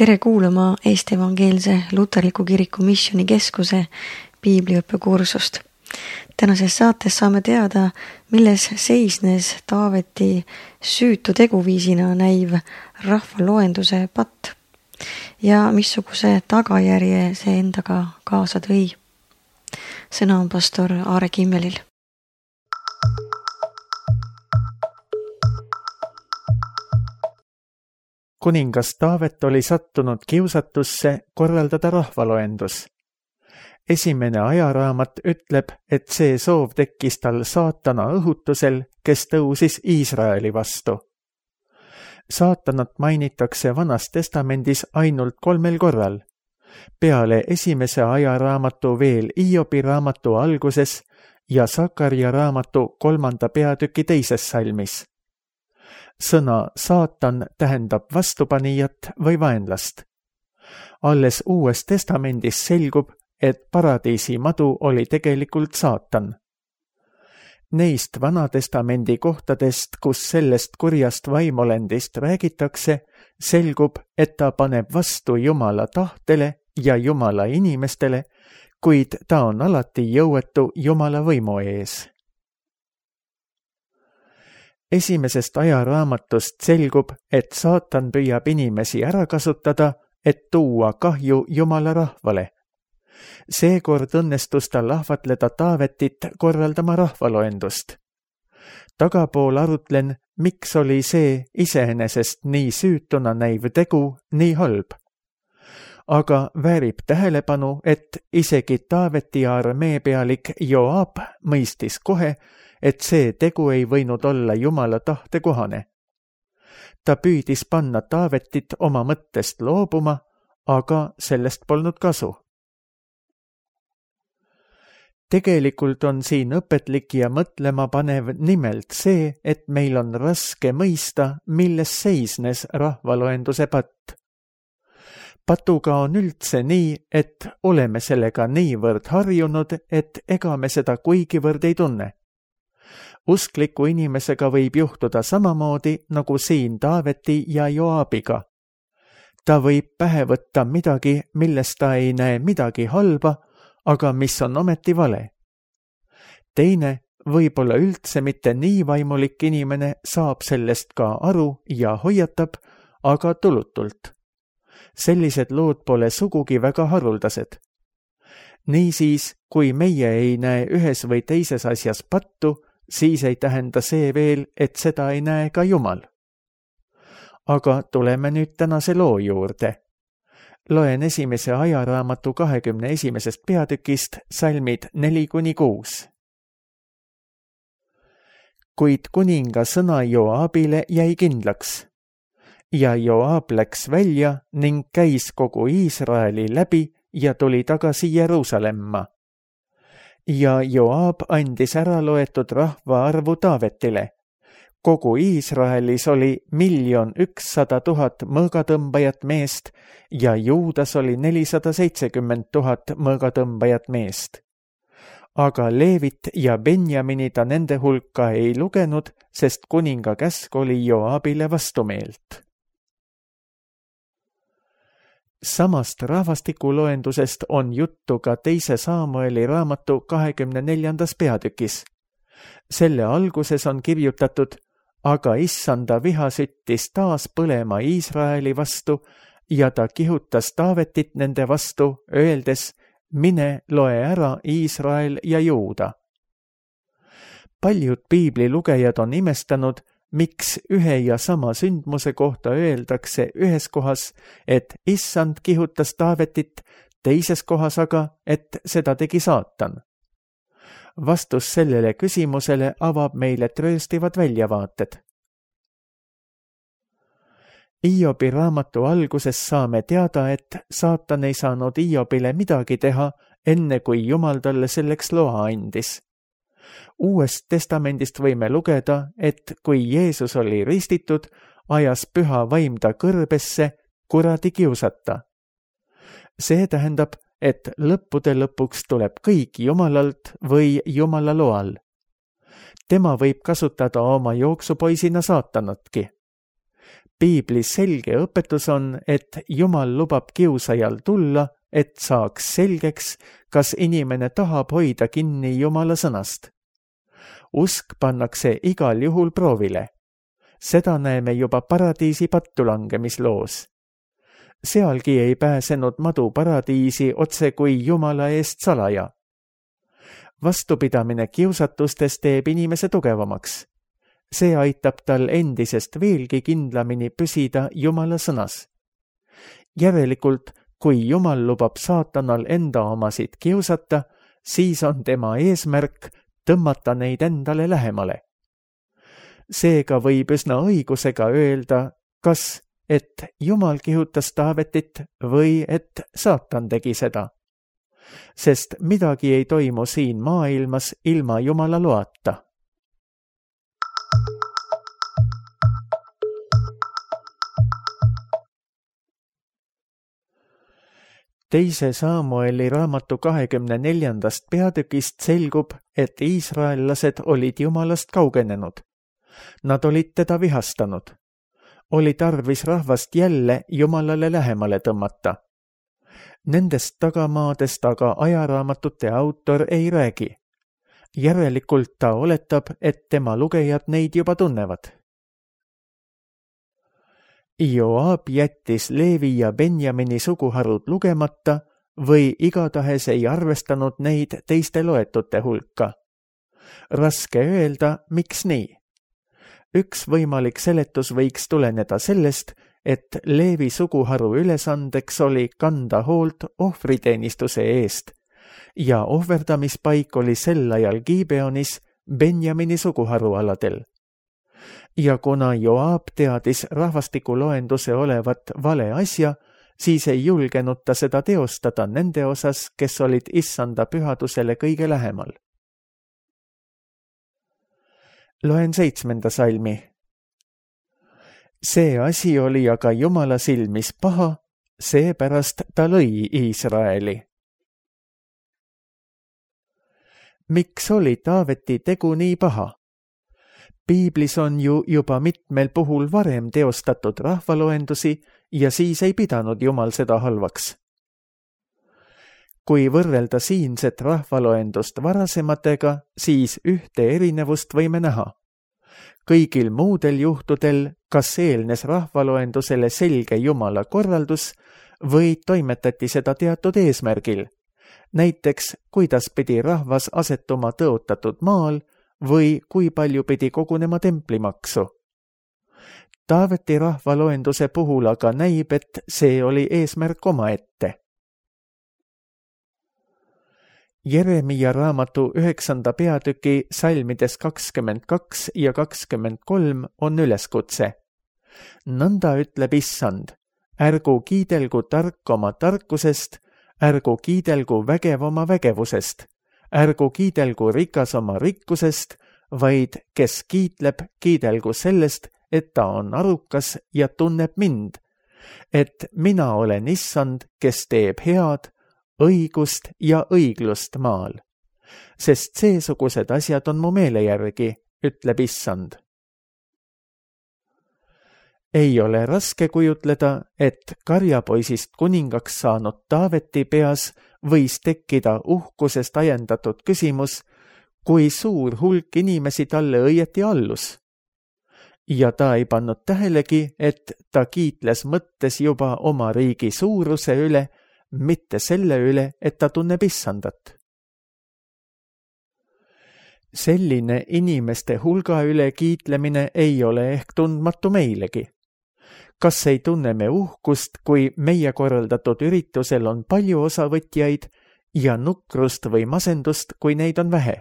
Tere kuulama Eesti Evangeelse Luterliku Kiriku Missioni Keskuse piibliõppekursust. Tänases saates saame teada, milles seisnes Taaveti süütu teguviisina näiv rahvaloenduse patt ja missuguse tagajärje see endaga kaasa tõi. Sõna on pastor Aare Kimmelil. Kuningas Taavet oli sattunud kiusatusse korraldada rahvaloendus. Esimene ajaraamat ütleb, et see soov tekkis tal saatana õhutusel, kes tõusis Iisraeli vastu. Saatanat mainitakse Vanas Testamendis ainult 3 korral. Peale esimese ajaraamatu veel Hiobi raamatu alguses ja Sakarja raamatu 3. peatüki 2. salmis. Sõna saatan tähendab vastupanijat või vaenlast. Alles Uues Testamendis selgub, et paradiisi madu oli tegelikult saatan. Neist Vanatestamendi kohtadest, kus sellest kurjast vaimolendist räägitakse, selgub, et ta paneb vastu Jumala tahtele ja Jumala inimestele, kuid ta on alati jõuetu Jumala võimu ees. Esimesest ajaraamatust selgub, et saatan püüab inimesi ära kasutada, et tuua kahju Jumala rahvale. Seekord õnnestus tal ahvatleda Taavetit korraldama rahvaloendust. Tagapool arutlen, miks oli see iseenesest nii süütuna näiv tegu nii halb. Aga väärib tähelepanu, et isegi Taaveti armee pealik Joab mõistis kohe, et see tegu ei võinud olla Jumala tahte kohane. Ta püüdis panna Taavetit oma mõttest loobuma, aga sellest polnud kasu. Tegelikult on siin õpetlik ja mõtlema panev nimelt see, et meil on raske mõista, milles seisnes rahvaloenduse patt. Patuga on üldse nii, et oleme sellega niivõrd harjunud, et ega me seda kuigivõrd ei tunne. Uskliku inimesega võib juhtuda samamoodi nagu siin Taaveti ja Joabiga. Ta võib pähe võtta midagi, milles ta ei näe midagi halba, aga mis on ometi vale. Teine, võib-olla üldse mitte nii vaimulik inimene saab sellest ka aru ja hoiatab, aga tulutult. Sellised lood pole sugugi väga haruldased. Niisiis, kui meie ei näe ühes või teises asjas pattu, siis ei tähenda see veel, et seda ei näe ka Jumal. Aga tuleme nüüd tänase loo juurde. Loen esimese ajaraamatu 21. peatükist salmid 4-6. Kuid kuninga sõna Joabile jäi kindlaks. Ja Joab läks välja ning käis kogu Iisraeli läbi ja tuli tagasi Jeruusalemma. Ja Joab andis ära loetud rahva arvu Taavetile. Kogu Iisraelis oli 1 100 000 mõõgatõmbajat meest ja Juudas oli 470 000 mõõgatõmbajat meest. Aga Leevit ja Benjamini ta nende hulka ei lugenud, sest kuninga käsk oli Joabile vastumeelt. Samast rahvastikuloendusest on juttu ka 2. Saamueli raamatu 24. peatükis. Selle alguses on kirjutatud, aga issanda viha süttis taas põlema Iisraeli vastu ja ta kihutas Taavetit nende vastu, öeldes, mine loe ära Iisrael ja Juuda. Paljud piiblilugejad on imestanud, miks ühe ja sama sündmuse kohta öeldakse ühes kohas, et issand kihutas Taavetit, teises kohas aga, et seda tegi saatan. Vastus sellele küsimusele avab meile trööstivad väljavaated. Hiobi raamatu alguses saame teada, et saatan ei saanud Hiobile midagi teha, enne kui Jumal talle selleks loa andis. Uuest testamendist võime lugeda, et kui Jeesus oli ristitud, ajas püha vaim ta kõrbesse kuradi kiusata. See tähendab, et lõppude lõpuks tuleb kõik Jumalalt või Jumala loal. Tema võib kasutada oma jooksupoisina saatanatki. Piibli selge õpetus on, et Jumal lubab kiusajal tulla, et saaks selgeks, kas inimene tahab hoida kinni Jumala sõnast. Usk pannakse igal juhul proovile. Seda näeme juba paradiisi pattulangamisloos. Sealgi ei pääsenud madu paradiisi otse kui Jumala eest salaja. Vastupidamine kiusatustes teeb inimese tugevamaks. See aitab tal endisest veelgi kindlamini püsida Jumala sõnas. Järelikult, kui Jumal lubab saatanal enda omasid kiusata, siis on tema eesmärk tõmmata neid endale lähemale. Seega võib üsna õigusega öelda, kas et Jumal kihutas Taavetit või et saatan tegi seda. Sest midagi ei toimu siin maailmas ilma Jumala loata. Teise Samueli raamatu 24. peatükist selgub, et iisraellased olid Jumalast kaugenenud. Nad olid teda vihastanud. Oli tarvis rahvast jälle Jumalale lähemale tõmmata. Nendest tagamaadest aga ajaraamatute autor ei räägi. Järelikult ta oletab, et tema lugejad neid juba tunnevad. Joab jättis Leevi ja Benjamini suguharud lugemata või igatahes ei arvestanud neid teiste loetute hulka. Raske öelda, miks nii. Üks võimalik seletus võiks tuleneda sellest, et Leevi suguharu ülesandeks oli kanda hoolt ohvriteenistuse eest ja ohverdamispaik oli sel ajal Gibeonis Benjamini suguharu aladel. Ja kuna Joab teadis rahvastikuloenduse olevat vale asja, siis ei julgenud ta seda teostada nende osas, kes olid issanda pühadusele kõige lähemal. Loen 7. salmi. See asi oli aga Jumala silmis paha, seepärast ta lõi Iisraeli. Miks oli Taaveti tegu nii paha? Piiblis on ju juba mitmel puhul varem teostatud rahvaloendusi ja siis ei pidanud Jumal seda halvaks. Kui võrrelda siinset rahvaloendust varasematega, siis ühte erinevust võime näha. Kõigil muudel juhtudel, kas eelnes rahvaloendusele selge Jumala korraldus või toimetati seda teatud eesmärgil, näiteks kuidas pidi rahvas asetuma tõotatud maal või kui palju pidi kogunema templimaksu. Taaveti rahvaloenduse puhul aga näib, et see oli eesmärk omaette. Jeremia raamatu 9. peatüki salmides 22 ja 23 on üleskutse. Nõnda ütleb issand, ärgu kiidelgu tark oma tarkusest, ärgu kiidelgu vägev oma vägevusest, ärgu kiidelgu rikas oma rikkusest, vaid kes kiitleb, kiidelgu sellest, et ta on arukas ja tunneb mind, et mina olen issand, kes teeb head, õigust ja õiglust maal. Sest seesugused asjad on mu meele järgi, ütleb issand. Ei ole raske kujutleda, et karjapoisist kuningaks saanud Taaveti peas võis tekkida uhkusest ajendatud küsimus, kui suur hulk inimesi talle õieti allus. Ja ta ei pannud tähelegi, et ta kiitles mõttes juba oma riigi suuruse üle, mitte selle üle, et ta tunneb issandat. Selline inimeste hulga üle kiitlemine ei ole ehk tundmatu meilegi. Kas ei tunne me uhkust, kui meie korraldatud üritusel on palju osavõtjaid ja nukrust või masendust, kui neid on vähe?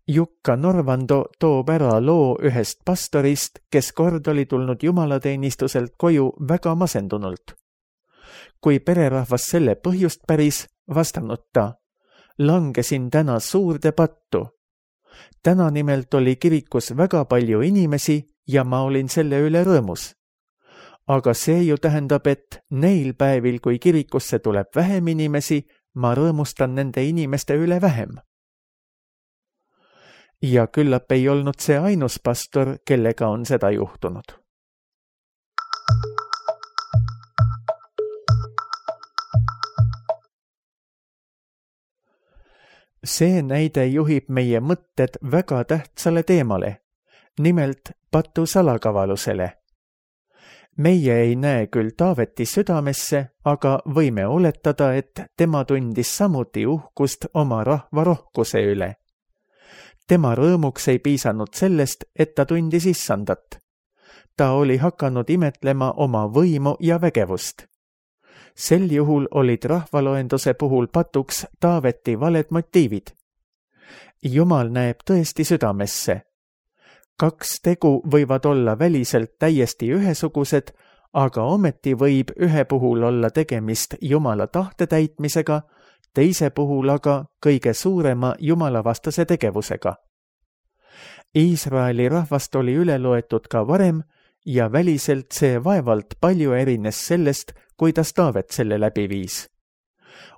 Jukka Norvando toob ära loo ühest pastorist, kes kord oli tulnud jumalateenistuselt koju väga masendunult. Kui pererahvas selle põhjust päris, vastanud ta, langesin täna suurde pattu. Täna nimelt oli kirikus väga palju inimesi ja ma olin selle üle rõõmus. Aga see ju tähendab, et neil päevil, kui kirikusse tuleb vähem inimesi, ma rõõmustan nende inimeste üle vähem. Ja küllap ei olnud see ainus pastor, kellega on seda juhtunud. See näide juhib meie mõtted väga tähtsale teemale, nimelt patu salakavalusele. Meie ei näe küll Taaveti südamesse, aga võime oletada, et tema tundis samuti uhkust oma rahva rohkuse üle. Tema rõõmuks ei piisanud sellest, et ta tundis issandat. Ta oli hakanud imetlema oma võimu ja vägevust. Sel juhul olid rahvaloenduse puhul patuks Taaveti valed motiivid. Jumal näeb tõesti südamesse. 2 tegu võivad olla väliselt täiesti ühesugused, aga ometi võib ühe puhul olla tegemist Jumala tahte täitmisega, teise puhul aga kõige suurema jumalavastase tegevusega. Iisraeli rahvast oli üle loetud ka varem ja väliselt see vaevalt palju erines sellest, kuidas Taavet selle läbi viis.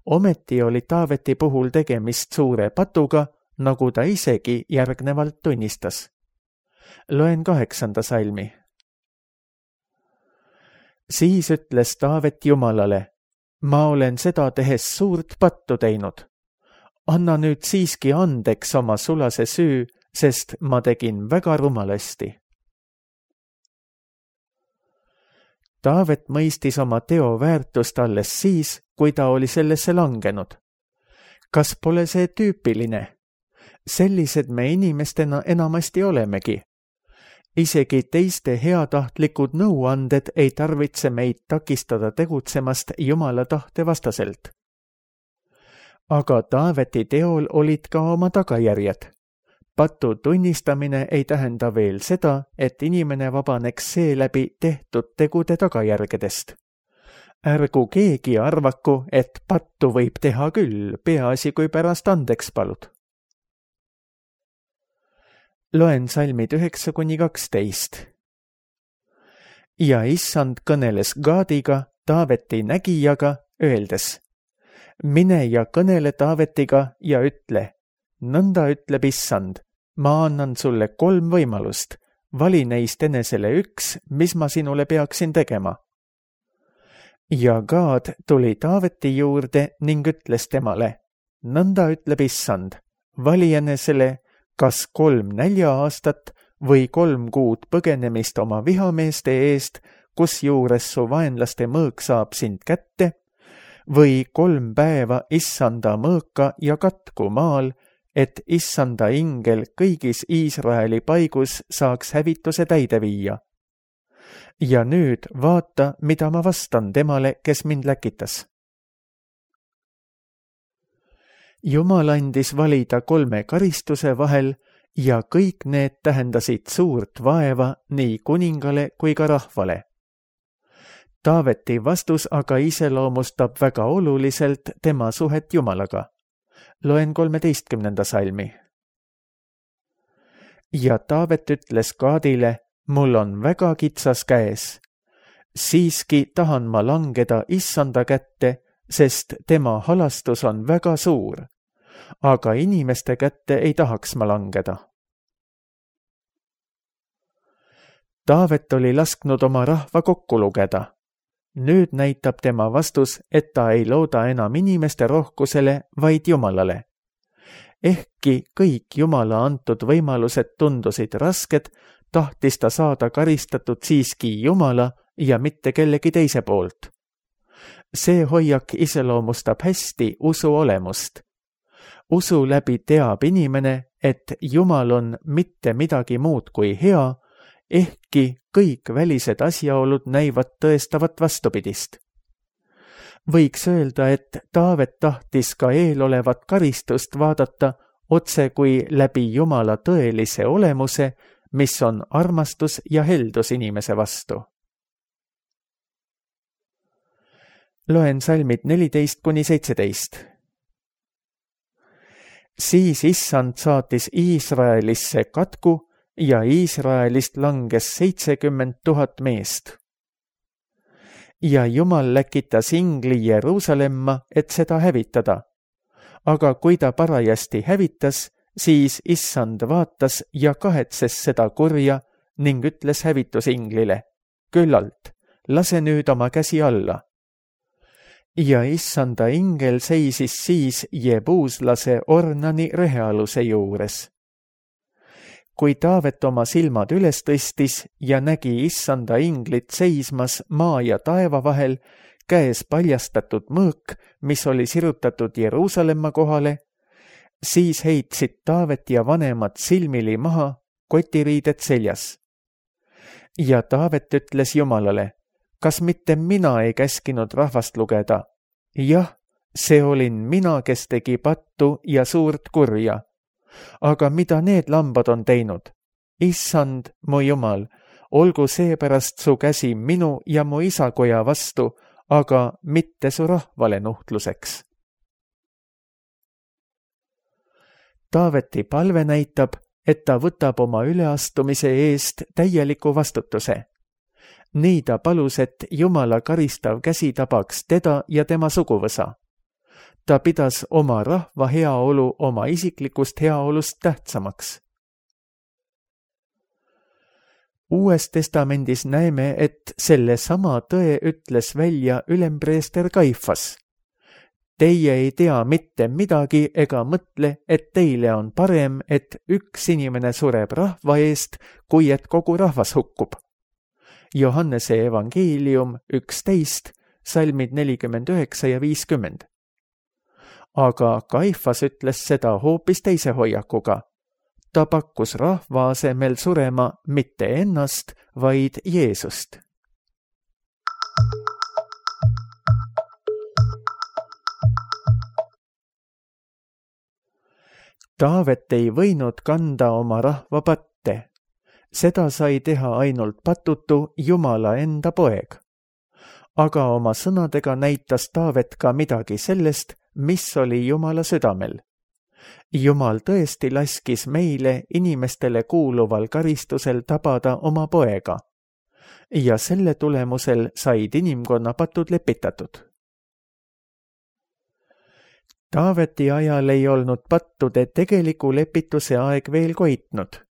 Ometi oli Taaveti puhul tegemist suure patuga, nagu ta isegi järgnevalt tunnistas. Loen 8. salmi. Siis ütles Taavet Jumalale, ma olen seda tehes suurt pattu teinud. Anna nüüd siiski andeks oma sulase süü, sest ma tegin väga rumalasti. Taavet mõistis oma teo väärtust alles siis, kui ta oli sellesse langenud. Kas pole see tüüpiline? Sellised me inimestena enamasti olemegi. Isegi teiste heatahtlikud nõuanded ei tarvitse meid takistada tegutsemast Jumala tahte vastaselt. Aga Taaveti teol olid ka oma tagajärjed. Patu tunnistamine ei tähenda veel seda, et inimene vabaneks seeläbi tehtud tegude tagajärgedest. Ärgu keegi arvaku, et pattu võib teha küll, peaasi kui pärast andeks palud. Loen salmid 9-12. Ja issand kõneles Gaadiga, Taaveti nägijaga, öeldes, mine ja kõnele Taavetiga ja ütle, nõnda ütleb issand, ma annan sulle 3 võimalust, vali neist enesele 1, mis ma sinule peaksin tegema. Ja Gaad tuli Taaveti juurde ning ütles temale, nõnda ütleb issand, vali enesele kas 3 nälja-aastat või 3 kuud põgenemist oma vihameeste eest, kusjuures su vaenlaste mõõk saab sind kätte, või 3 päeva issanda mõõka ja katku maal, et issanda ingel kõigis Iisraeli paigus saaks hävituse täide viia. Ja nüüd vaata, mida ma vastan temale, kes mind läkitas. Jumal andis valida 3 karistuse vahel ja kõik need tähendasid suurt vaeva nii kuningale kui ka rahvale. Taaveti vastus aga iseloomustab väga oluliselt tema suhet Jumalaga. Loen 13. salmi. Ja Taavet ütles Gaadile, mul on väga kitsas käes. Siiski tahan ma langeda issanda kätte, sest tema halastus on väga suur. Aga inimeste kätte ei tahaks ma langeda. Taavet oli lasknud oma rahva kokku lugeda. Nüüd näitab tema vastus, et ta ei looda enam inimeste rohkusele, vaid Jumalale. Ehkki kõik Jumala antud võimalused tundusid rasked, tahtis ta saada karistatud siiski Jumala ja mitte kellegi teise poolt. See hoiak iseloomustab hästi usu olemust. Usu läbi teab inimene, et Jumal on mitte midagi muud kui hea, ehkki kõik välised asjaolud näivad tõestavat vastupidist. Võiks öelda, et Taavet tahtis ka eelolevat karistust vaadata otse kui läbi Jumala tõelise olemuse, mis on armastus ja heldus inimese vastu. Loen salmid 14-17. Siis issand saatis Iisraelisse katku ja Iisraelist langes 70 000 meest. Ja Jumal läkitas ingli Jeruusalemma, et seda hävitada. Aga kui ta parajasti hävitas, siis issand vaatas ja kahetses seda kurja ning ütles hävitusinglile, küllalt, lase nüüd oma käsi alla. ja issanda ingel seisis siis jebuuslase Ornani rehealuse juures. Kui Taavet oma silmad üles tõstis ja nägi issanda inglit seismas maa ja taeva vahel, käes paljastatud mõõk, mis oli sirutatud Jeruusalemma kohale, siis heitsid Taavet ja vanemad silmili maha, kotiriided seljas. Ja Taavet ütles Jumalale, kas mitte mina ei käskinud rahvast lugeda? Jah, see olin mina, kes tegi pattu ja suurt kurja. Aga mida need lambad on teinud? Issand, mu Jumal, olgu seepärast su käsi minu ja mu isakoja vastu, aga mitte su rahvale nuhtluseks. Taaveti palve näitab, et ta võtab oma üleastumise eest täieliku vastutuse. Nii ta palus, et Jumala karistav käsi tabaks teda ja tema suguvõsa. Ta pidas oma rahva heaolu oma isiklikust heaolust tähtsamaks. Uues testamendis näeme, et selle sama tõe ütles välja ülempreester Kaifas. Teie ei tea mitte midagi ega mõtle, et teile on parem, et üks inimene sureb rahva eest, kui et kogu rahvas hukkub. Johannese evangeelium 11, salmid 49 ja 50. Aga Kaifas ütles seda hoopis teise hoiakuga. Ta pakkus rahva asemel surema mitte ennast, vaid Jeesust. Taavet ei võinud kanda oma rahva patte. Seda sai teha ainult patutu Jumala enda poeg. Aga oma sõnadega näitas Taavet ka midagi sellest, mis oli Jumala südamel. Jumal tõesti laskis meile inimestele kuuluval karistusel tabada oma poega. Ja selle tulemusel said inimkonna patud lepitatud. Taaveti ajal ei olnud pattude tegeliku lepituse aeg veel koitnud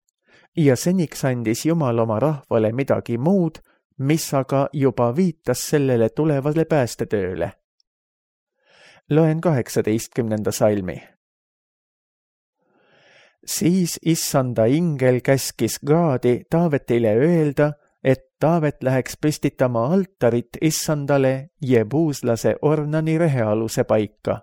ja seniks andis Jumal oma rahvale midagi muud, mis aga juba viitas sellele tulevale päästetööle. Loen 18. salmi. Siis issanda ingel käskis Gaadi Taavetile öelda, et Taavet läheks püstitama altarit issandale jebuuslase Ornani rehealuse paika.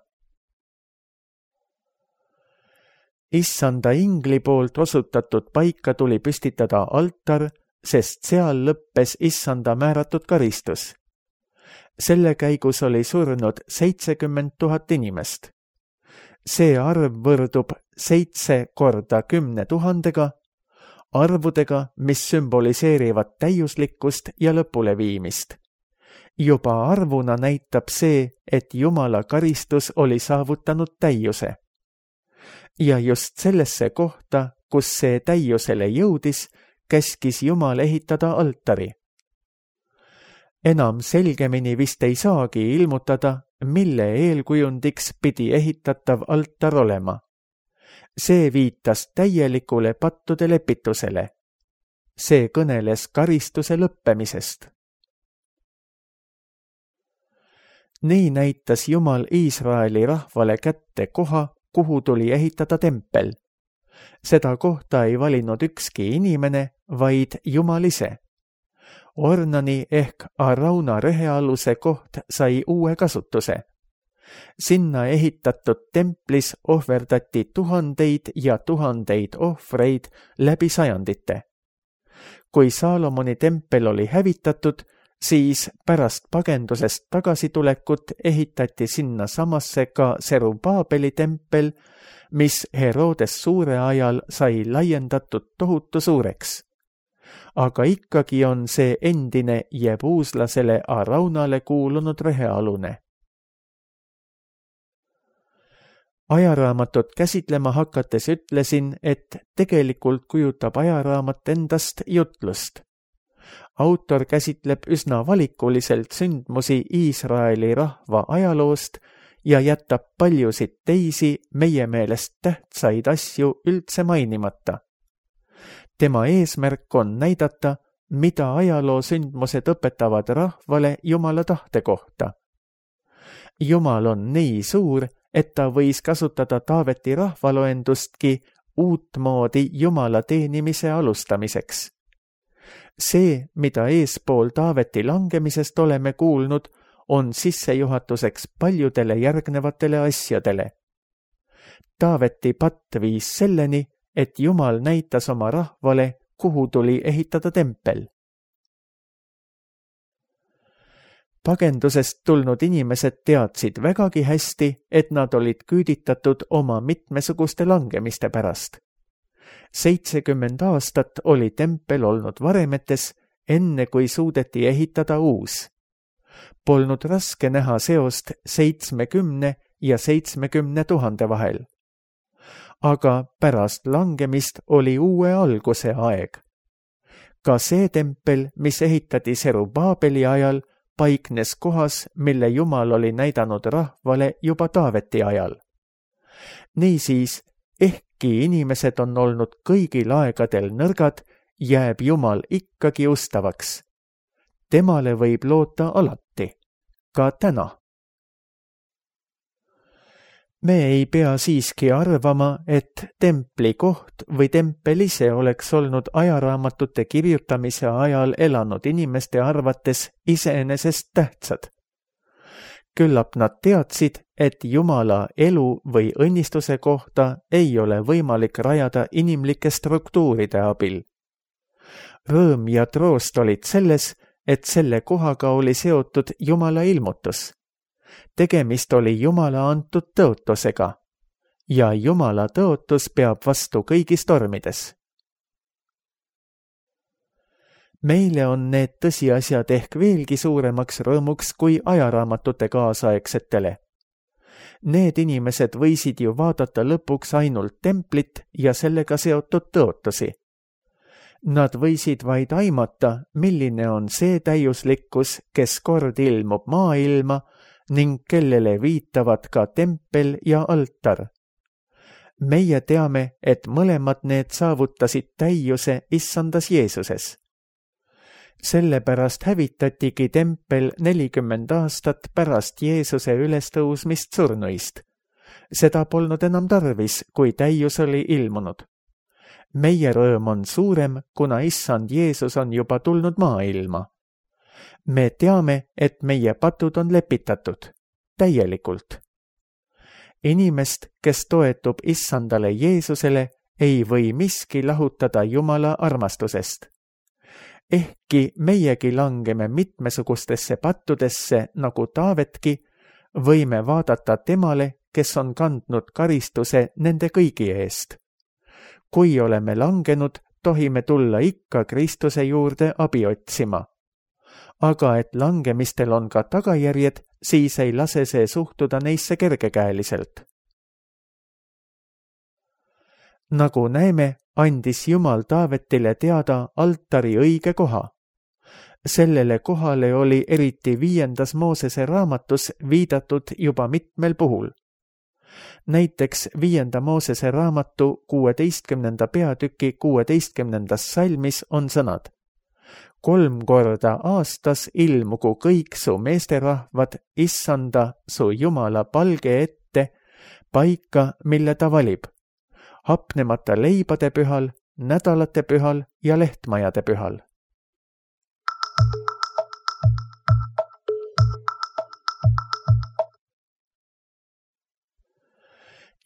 Issanda ingli poolt osutatud paika tuli püstitada altar, sest seal lõppes issanda määratud karistus. Selle käigus oli surnud 70 000 inimest. See arv võrdub 7 korda 10 000-ga, arvudega, mis sümboliseerivad täiuslikkust ja lõpuleviimist. Juba arvuna näitab see, et Jumala karistus oli saavutanud täiuse. Ja just sellesse kohta, kus see täiusele jõudis, käskis Jumal ehitada altari. Enam selgemini vist ei saagi ilmutada, mille eelkujundiks pidi ehitatav altar olema. See viitas täielikule pattude lepitusele. See kõneles karistuse lõppemisest. Nii näitas Jumal Iisraeli rahvale kätte koha, kuhu tuli ehitada tempel. Seda kohta ei valinud ükski inimene, vaid Jumal ise. Ornani ehk Arauna rehealuse koht sai uue kasutuse. Sinna ehitatud templis ohverdati tuhandeid ja tuhandeid ohvreid läbi sajandite. Kui Saalomoni tempel oli hävitatud, siis pärast pagendusest tagasitulekut ehitati sinna samasse ka Serubaabeli tempel, mis Herodes suure ajal sai laiendatud tohutu suureks. Aga ikkagi on see endine jebuuslasele Araunale kuulunud rehealune. Ajaraamatut käsitlema hakates ütlesin, et tegelikult kujutab ajaraamat endast jutlust. Autor käsitleb üsna valikuliselt sündmusi Iisraeli rahva ajaloost ja jätab paljusid teisi meie meelest tähtsaid asju üldse mainimata. Tema eesmärk on näidata, mida ajaloo sündmused õpetavad rahvale Jumala tahte kohta. Jumal on nii suur, et ta võis kasutada Taaveti rahvaloendustki uutmoodi Jumala teenimise alustamiseks. See, mida eespool Taaveti langemisest oleme kuulnud, on sissejuhatuseks paljudele järgnevatele asjadele. Taaveti patt viis selleni, et Jumal näitas oma rahvale, kuhu tuli ehitada tempel. Pagendusest tulnud inimesed teadsid vägagi hästi, et nad olid küüditatud oma mitmesuguste langemiste pärast. 70 aastat oli tempel olnud varemetes, enne kui suudeti ehitada uus. Polnud raske näha seost 70 ja 70 000 vahel. Aga pärast langemist oli uue alguse aeg. Ka see tempel, mis ehitati Serubaabeli ajal, paiknes kohas, mille Jumal oli näidanud rahvale juba Taaveti ajal. Niisiis, ehkki inimesed on olnud kõigil aegadel nõrgad, jääb Jumal ikkagi ustavaks. Temale võib loota alati, ka täna. Me ei pea siiski arvama, et templi koht või tempel ise oleks olnud ajaraamatute kirjutamise ajal elanud inimeste arvates iseenesest tähtsad. Küllap nad teadsid, et Jumala elu või õnnistuse kohta ei ole võimalik rajada inimlike struktuuride abil. Rõõm ja troost olid selles, et selle kohaga oli seotud Jumala ilmutus. Tegemist oli Jumala antud tõotusega ja Jumala tõotus peab vastu kõigis tormides. Meile on need tõsiasjad ehk veelgi suuremaks rõõmuks kui ajaraamatute kaasaegsetele. Need inimesed võisid ju vaadata lõpuks ainult templit ja sellega seotud tõotusi. Nad võisid vaid aimata, milline on see täiuslikkus, kes kord ilmub maailma ning kellele viitavad ka tempel ja altar. Meie teame, et mõlemad need saavutasid täiuse issandas Jeesuses. Sellepärast hävitatigi tempel 40 aastat pärast Jeesuse ülestõusmist surnuist. Seda polnud enam tarvis, kui täius oli ilmunud. Meie rõõm on suurem, kuna issand Jeesus on juba tulnud maailma. Me teame, et meie patud on lepitatud, täielikult. Inimest, kes toetub issandale Jeesusele, ei või miski lahutada Jumala armastusest. Ehkki meiegi langeme mitmesugustesse pattudesse nagu Taavetki, võime vaadata temale, kes on kandnud karistuse nende kõigi eest. Kui oleme langenud, tohime tulla ikka Kristuse juurde abi otsima. Aga et langemistel on ka tagajärjed, siis ei lase see suhtuda neisse kergekäeliselt. Nagu näeme, andis Jumal Taavetile teada altari õige koha. Sellele kohale oli eriti 5. Moosese raamatus viidatud juba mitmel puhul. Näiteks 5. Moosese raamatu 16. peatüki 16. salmis on sõnad: 3 korda aastas ilmugu kõik su meesterahvad issanda su Jumala palge ette paika, mille ta valib, hapnemata leibade pühal, nädalate pühal ja lehtmajade pühal.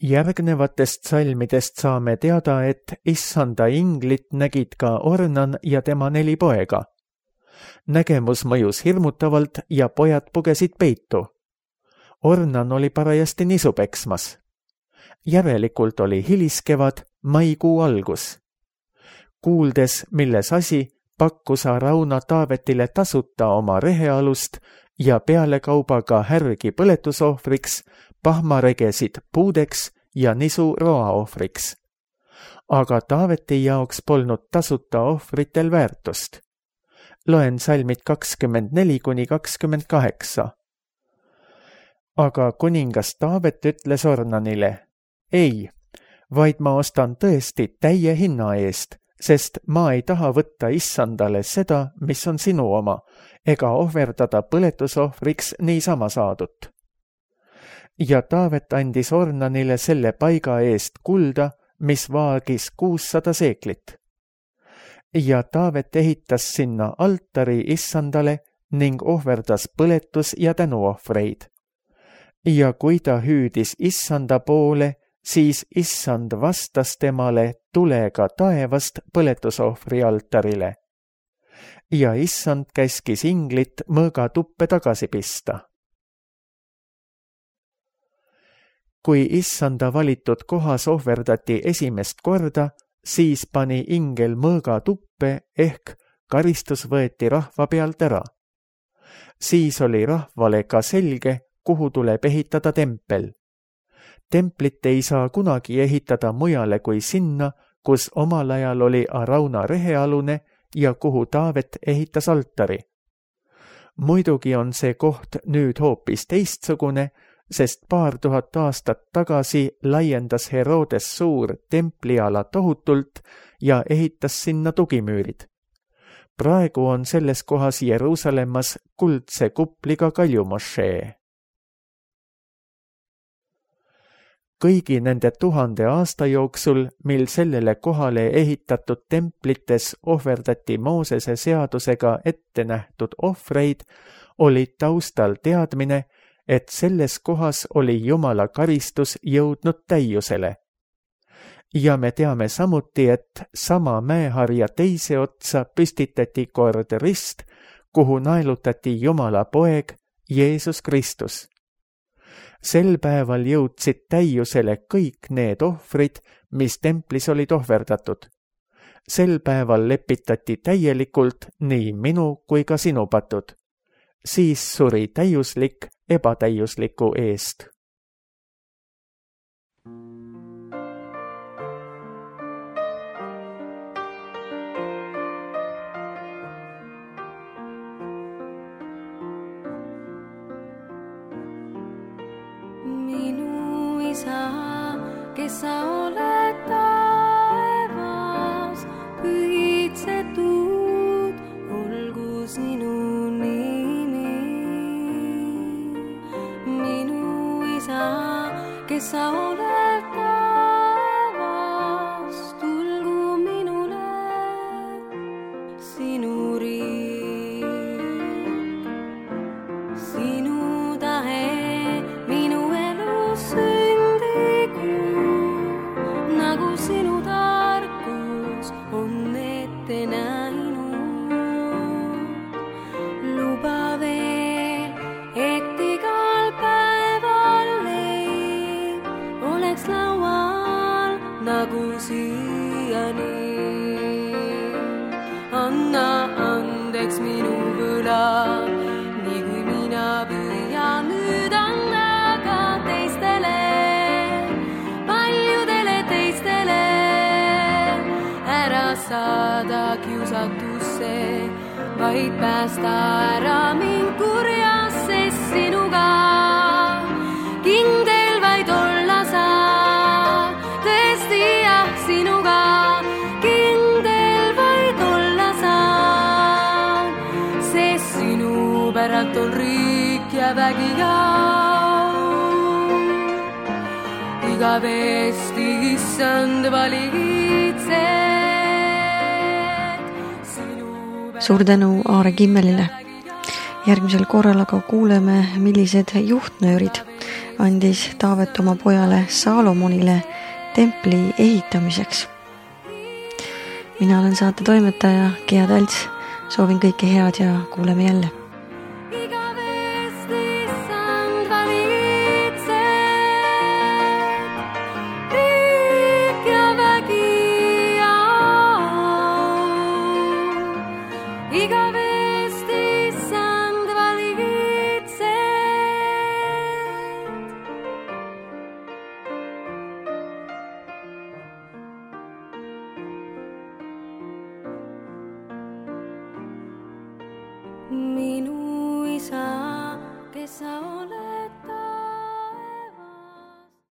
Järgnevatest salmidest saame teada, et issanda inglit nägid ka Ornan ja tema 4 poega. Nägemus mõjus hirmutavalt ja pojad pugesid peitu. Ornan oli parajasti nisu peksmas. Järelikult oli hiliskevad, maikuu algus. Kuuldes, milles asi, pakkus Arauna Taavetile tasuta oma rehealust ja pealekaubaga härgi põletusohvriks, pahmaregesid puudeks ja nisu roaohvriks. Aga Taaveti jaoks polnud tasuta ohvritel väärtust. Loen salmid 24-28. Aga kuningas Taavet ütles Ornanile: ei, vaid ma ostan tõesti täie hinna eest, sest ma ei taha võtta issandale seda, mis on sinu oma, ega ohverdada põletusohvriks niisama saadut. ja Taavet andis Ornanile selle paiga eest kulda, mis vaagis 600 seeklit. Ja Taavet ehitas sinna altari Issandale ning ohverdas põletus- ja tänuohvreid. Ja kui ta hüüdis Issanda poole, siis Issand vastas temale tulega taevast põletusohvri altarile. Ja Issand käskis inglit mõõgatuppe tagasi pista. Kui Issanda valitud kohas ohverdati esimest korda, siis pani ingel mõõgatuppe ehk karistus võeti rahva pealt ära. Siis oli rahvale ka selge, kuhu tuleb ehitada tempel. Templit ei saa kunagi ehitada mujale kui sinna, kus omal ajal oli Arauna rehealune ja kuhu Taavet ehitas altari. Muidugi on see koht nüüd hoopis teistsugune, sest 2000 aastat tagasi laiendas Herodes Suur templiala tohutult ja ehitas sinna tugimüürid. Praegu on selles kohas Jeruusalemmas kuldse kupliga kaljumošee. Kõigi nende 1000 aasta jooksul, mil sellele kohale ehitatud templites ohverdati Moosese seadusega ette nähtud ohvreid, oli taustal teadmine, et selles kohas oli Jumala karistus jõudnud täiusele. Ja me teame samuti, et sama mäeharja teise otsa püstitati kord rist, kuhu naelutati Jumala poeg Jeesus Kristus. Sel päeval jõudsid täiusele kõik need ohvrid, mis templis olid ohverdatud. Sel päeval lepitati täielikult nii minu kui ka sinu patud. Siis suri täiuslik ebatäiusliku eest. Minu isa, kes sa oled taevas, pühitsetud olgu sinu nimi. Minu isa, kes sa oled taevas, tulgu minule sinu riik. Sinu tahe minu elus sündigu, nagu sinu tarkus on ette näinud. Luba veel, et igal päeval leib oleks laual nagu siiani. Anna andeks minu võlad, nii kui mina püüan nüüd anda ka teistele, paljudele teistele. Ära saada kiusatusse, vaid päästa ära mind kurjast, sest sinuga kindel vaid olla saa. Tõesti jah, sinuga kindel vaid olla saa, sest sinu päralt on riik ja vägi ja igavesti issand valitsed. Suur tänu Aare Kimmelile. Järgmisel korral aga kuuleme, millised juhtnöörid andis Taavet oma pojale Saalomonile templi ehitamiseks. Mina olen saate toimetaja Gea Talts. Soovin kõike head ja kuuleme jälle.